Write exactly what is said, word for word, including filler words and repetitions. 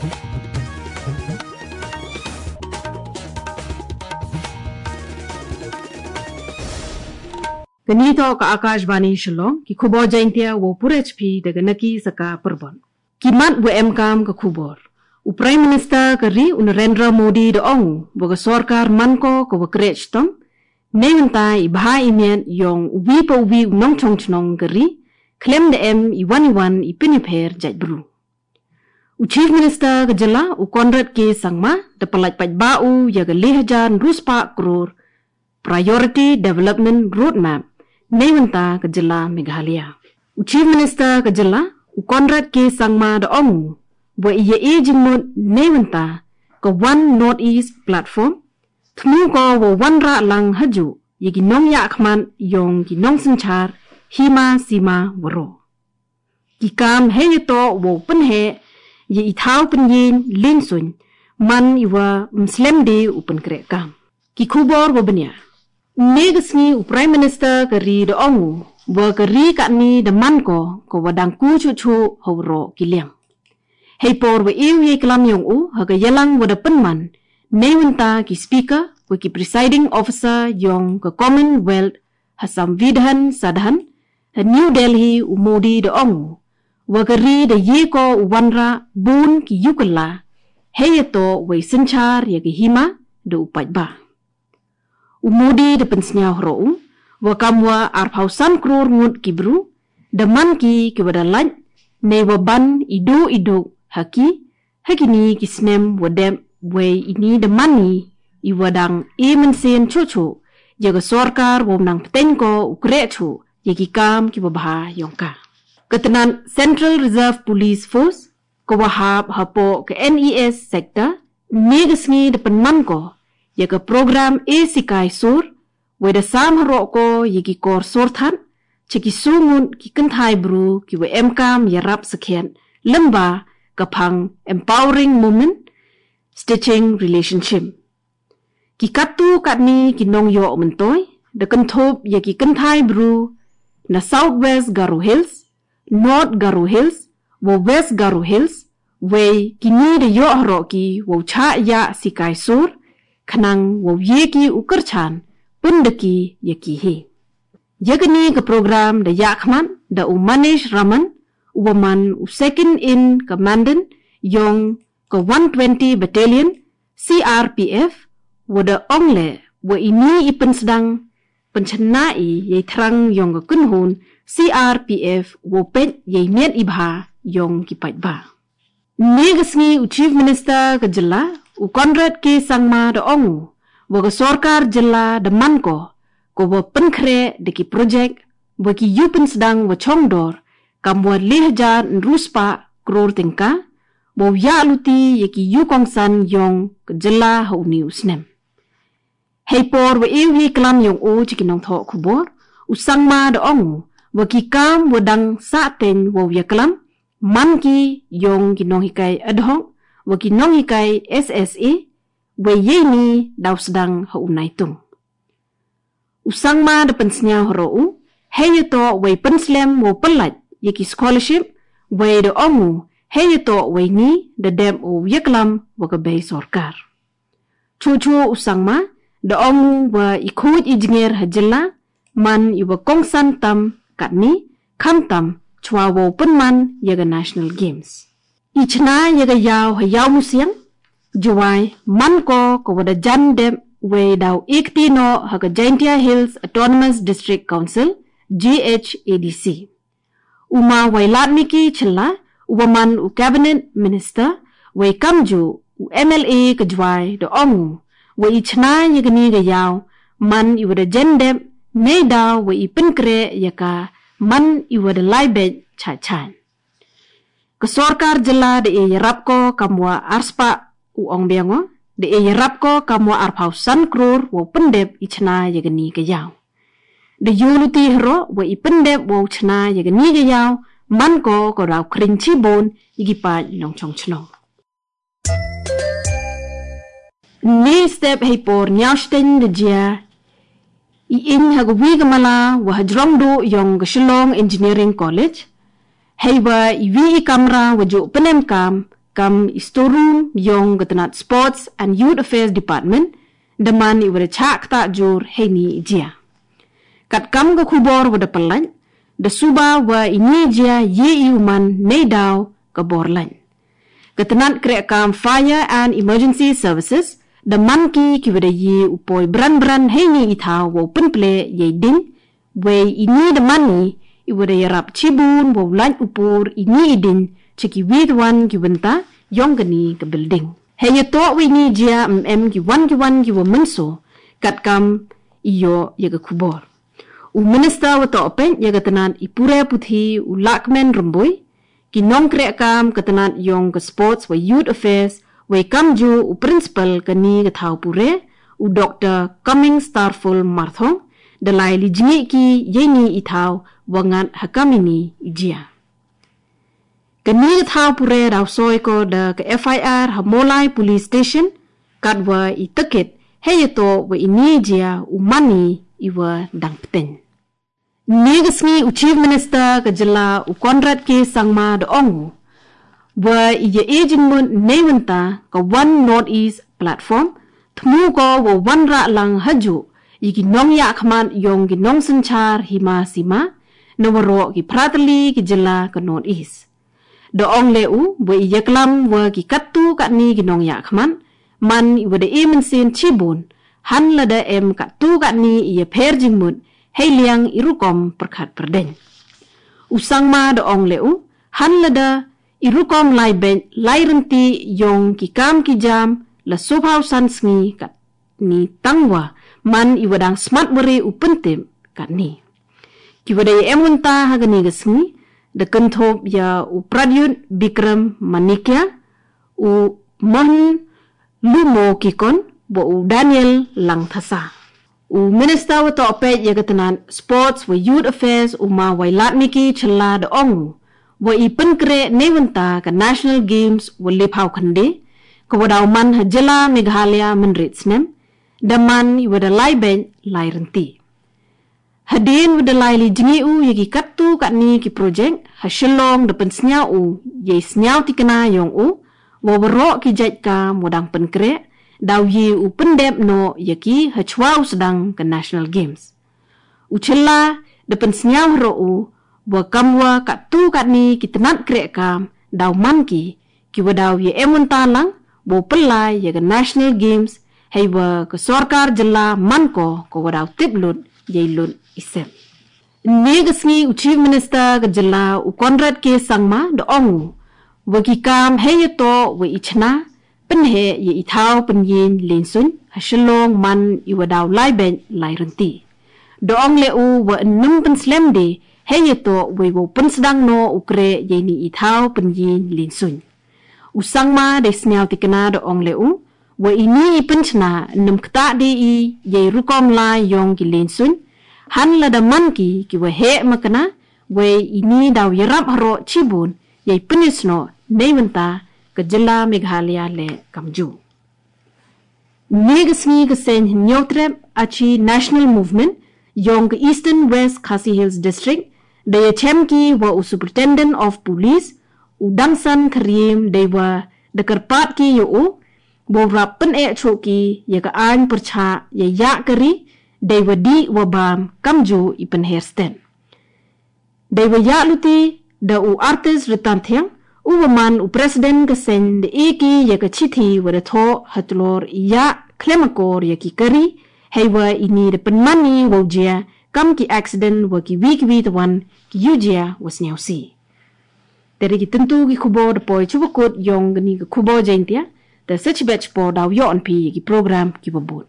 Kani to ka Akashvani Shillong, ki khubor Jaintia wa purech pi daga naki saka perbon. Ki mat wa emkam ka khubor. U Prime Minister ka ri u Narendra Modi da ong u, wa ka sorkar man ko ka wa krech tong, nei wanta i bha i miat yong u wi pa u wi u nong chong chnong ka ri, klem da em i wan i wan i pin i pher jait bru. U Chief Minister ka jylla u Conrad K Sangma da palait pait ba u ya ka le hajar nrus pa kror Priority Development Roadmap nei wanta ka jylla Meghalaya. U Chief Minister ka jylla u Conrad K Sangma da ong u, wa i ya e jingmut nei wanta ka One North East Platform, thmu ko wa wan ra lang haju ya ki nong ya khman yong ki nong synchar hima sima waro. Ki kam hei ya to wa u pynhe ya i thau pynyin lin suin man i wa mslem de u pynkre kam. Ki khubor wa bnya. Ne ka sngi u Prime Minister ka ri da ong u, wa ka ri ka ni da man ko, ko wa dang ku chu chu ha u ro ki liang. Hei por wa e u ye klam yong u, ha ka yalang wa da pynman, nei wanta ki Speaker, wa ki Presiding Officer yong ka Commonwealth ha Samvidhan Sadhan, ha New Delhi u Modi da ong u, wa ka ri da ye ko u wan ra bun ki yu ka la, hei ya to wa i synchar ya ka hima da u pait ba. U Modi da pynsngaw hro u, wa kam wa arphaw san kror ngut ki bru, da man ki ki wa da lait, nei wa ban i du i du ha ki, ha ki ni ki snem wa dep, wei i ni da man i, i wa dang e mynsen chu chu, ya ka sorkar wa u nang pteng ko u krech u, ya ki kam ki wa bha yong ka. Ka tnat Central Reserve Police Force, ka wa hap ha po ka N E S sector, ne ka sngi da pynman ko, ya ka program e sikai sur, wei da sam ha ro ko ya ki kor sur than, cha ki su ngut ki kynthai bru ki wa emkam ya rap sakhiat, lymba ka phang Empowering Women, Stitching Relationship. Ki kattu katni ki nong yoh myntoi, da kynthup ya ki kynthai bru, na South West Garo Hills, North Garo Hills, wa West Garo Hills, wei ki ni da yoh ha ro ki, wa u cha ya sikai sur, khnang wa u ye ki u kyrchan, pyn da ki ya ki he. Ya ka ni ka program da ya khman, da u Manish Raman, u wa man u second in commandant, yong ka one twenty Battalion, C R P F, wa da ong le, wa i ni i pynsdang, pynchna i, ya i thrang yong ka kynhun, C R P F, wa peit ya i miat i bha, yong ki pait ba. Ne ka sngi u Chief Minister ka jylla, u Conrad K Sangma da ong u, wa ka sorkar jylla da man ko, ko wa pynkhreh da ki project, wa ki yu pynsdang wa chong dor, kam wa le hajar nrus pa kror tyngka, wa u ya luti ya ki yu kongsan yong ka jylla ha u ni u snem. Hei por wa e u ye klam yong u cha ki nong thoh khubor, u Sangma da ong u, wa ki kam wa dang sa teng wa u ya klam, man ki yong ki nong hikai ad hoc, wa ki nong hikai S S A, wei ye i ni da u sdang ha u nai tung. U Sangma da pynsngaw ha ro u, hei ya to wei pynslem wa u pynlait ya ki scholarship, wei da ong u, hei ya to wei ni da dep wa u ya klam wa ka bei sorkar. Chu chu u Sangma, da ong u wa i khuid i jnger ha jylla, man i wa kongsan tam katni, kham tam, chwa wa u pynman ya ka National Games. I chna ya ka yaw ha Ïawmusiang, Jowai, man ko ka wa da jan dep wei da u ek ti no ha ka Jaintia Hills Autonomous District Council, J H A D C. U Ma Wailadmiki Shylla, u wa man u Cabinet Minister, wei kamju u M L A ka Jowai da ong u, wa i chna ya ka ni ka yaw, man i wa da jan dep, nei da wa i pynkhreh ya ka, man i wa da lai beit chai chai. Ka sorkar jylla da e yarap ko kam wa arspah u ong biang o, da e yarap ko kam wa arphaw san kror wa u pyndep i chna ya ka ni ka yaw. Da yu luti ha ro wa i pyndep wa u chna ya ka ni ka yaw, man ko ka daw khring chibun ya ki pait nong chong chnong. Ni step hei por ñiaw shteng da jia, i ing ha ka wi ka mala wa ha jrong du yong ka Shillong Engineering College, hei wa i wi i kamra wa ju pynem kam, kam i storum yong ka tnat Sports and Youth Affairs Department, da man i wada chak ta jur hei ni i jia. Kat kam ka khubor wada palan, da suba wa i ni jia ye i u man nei daw ka bor lain. Ka tnat krek kam Fire and Emergency Services, da man ki ki wada ye u poi bran bran hei ni i thaw wa u pynple ye i ding, wei i ni da man i, i wada yarap chibun wa u lain u pur i ni i ding, chaki wit wan ki wynta, yong ka ni ka building. Hei ya to wei ni jia mm ki wan ki wan ki wa mynso, kat kam i yo ya ka khubor. U Minister wa to pek ya ka tnat i pure puthi u Lakmen Rumbui, ki nongkrek kam ka tnat yong ka Sports wa Youth Affairs, wei kam ju u Principal ka ni ka thaw pure, u Doctor Coming Starful Marthong, da lai li jngi ki ye ni i thaw wa ngat ha kam i ni i jia. Ka ni ka thaw pure daw soi ko da ka F I R ha Molai Police Station, kat wa i tekit, hei ya to wa i ni jia u man i i wa dang pteng. Ni ka sngi u Chief Minister ka jylla u Conrad K Sangma da ong u, wa i ya e jingmut nei wynta ka One North East Platform, thmu ko wa wan ra lang ha ju, i ki nong ya khmat yong ki nong synchar hima sima, na wa ro ki pratali ki jylla ka North East. Da ong le u, wa i ya klam wa ki kattu katni ki nong ya khmat, man i wada e mynsin chibun, han lada em kattu katni i ya pher jingmut, hei liang i rukom pyrkhat pyrdeng. U Sangma da ong le u, han lada i rukom lai bek lai rynti yong ki kam ki jam, la subhau san sngi kat ni tang wa, man i wadang smat wari u pyntip kat ni. Ki wada ya em wynta ha ka ni ka sngi, da kynthup ya u Pradyut Bikram Manikya, u Mohan Lumo Kikon, wa u Daniel Langthasa. U Minister wa to pek ya ka tnat Sports wa Youth Affairs u Ma Wailadmiki Shylla da ong u, wa i pynkre nei wynta ka National Games wa le phau khande, ka wa daw man ha jylla Meghalaya mynrit snem, da man i wada lai bek lai rynti. Hadien wada lai li jngi u ya ki kattu katni ki project, ha Shillong da pynsniaw u, ya i sniaw tikna yong u, wa wa ro ki jait kam wa dang pynkre, daw ye u pyndep no ya ki ha chwa u sdang ka National Games. U Shylla da pynsniaw ro u, wa kam wa kattu katni ki tnat krek kam, daw man ki, ki wa daw ya em wynta lang, wa u pyllai ya ka National Games, hei wa ka sorkar jylla man ko, ka wa daw tip lut, ya i lut i sep. Ni ka sngi u Chief Minister ka jylla u Conrad K Sangma da ong u, wa ki kam hei ya to wa i chna, pynhe ya i thaw pynyin lensuin, ha Shillong man i wa daw lai bek lai rynti. Da ong le u wa nnum pynslem de, hei ya to wa i wa pynsdang no u kre ya i ni i thaw pynyin lensuin. U Sangma da i sniaw tikna da ong le u, wa i ni i pynchna nnum kta de i, ya i rukom lai yong ki lensuin, han lada man ki ki wa he makna, wei i ni daw yarap ha ro chibun, ya i pynisno nei wynta ka jylla Meghalaya le kam ju. Ni ka sngi ka seng hynñiewtrep achi National Movement, yong ka Eastern West Khasi Hills District, da ya chem ki wa u Superintendent of Police, u Dangsan Kharim, dei wa da kyrpad ki ya u, wa u rap pyn-eh chuh ki ya ka ain pyrchah ya ya kari, dei wa dih wa bam kam ju i pynher stet. Dei wa ya luti da u Artist Rytan Thiang, u wa man u President ka seng da e ki ya ka chithi wa da thoh ha tlor i ya khlem akor ya ki kari, hei wa i ni da pynman i wa u jia kam ki accident wa ki wi ki wi tawan ki yu jia wa sniaw si. Teri ki tyntu ki khubor da poi chuba kut yong ka ni ka khubor Jaintia, da sa chibet chipor daw yoh an phi ya ki program ki wa bud.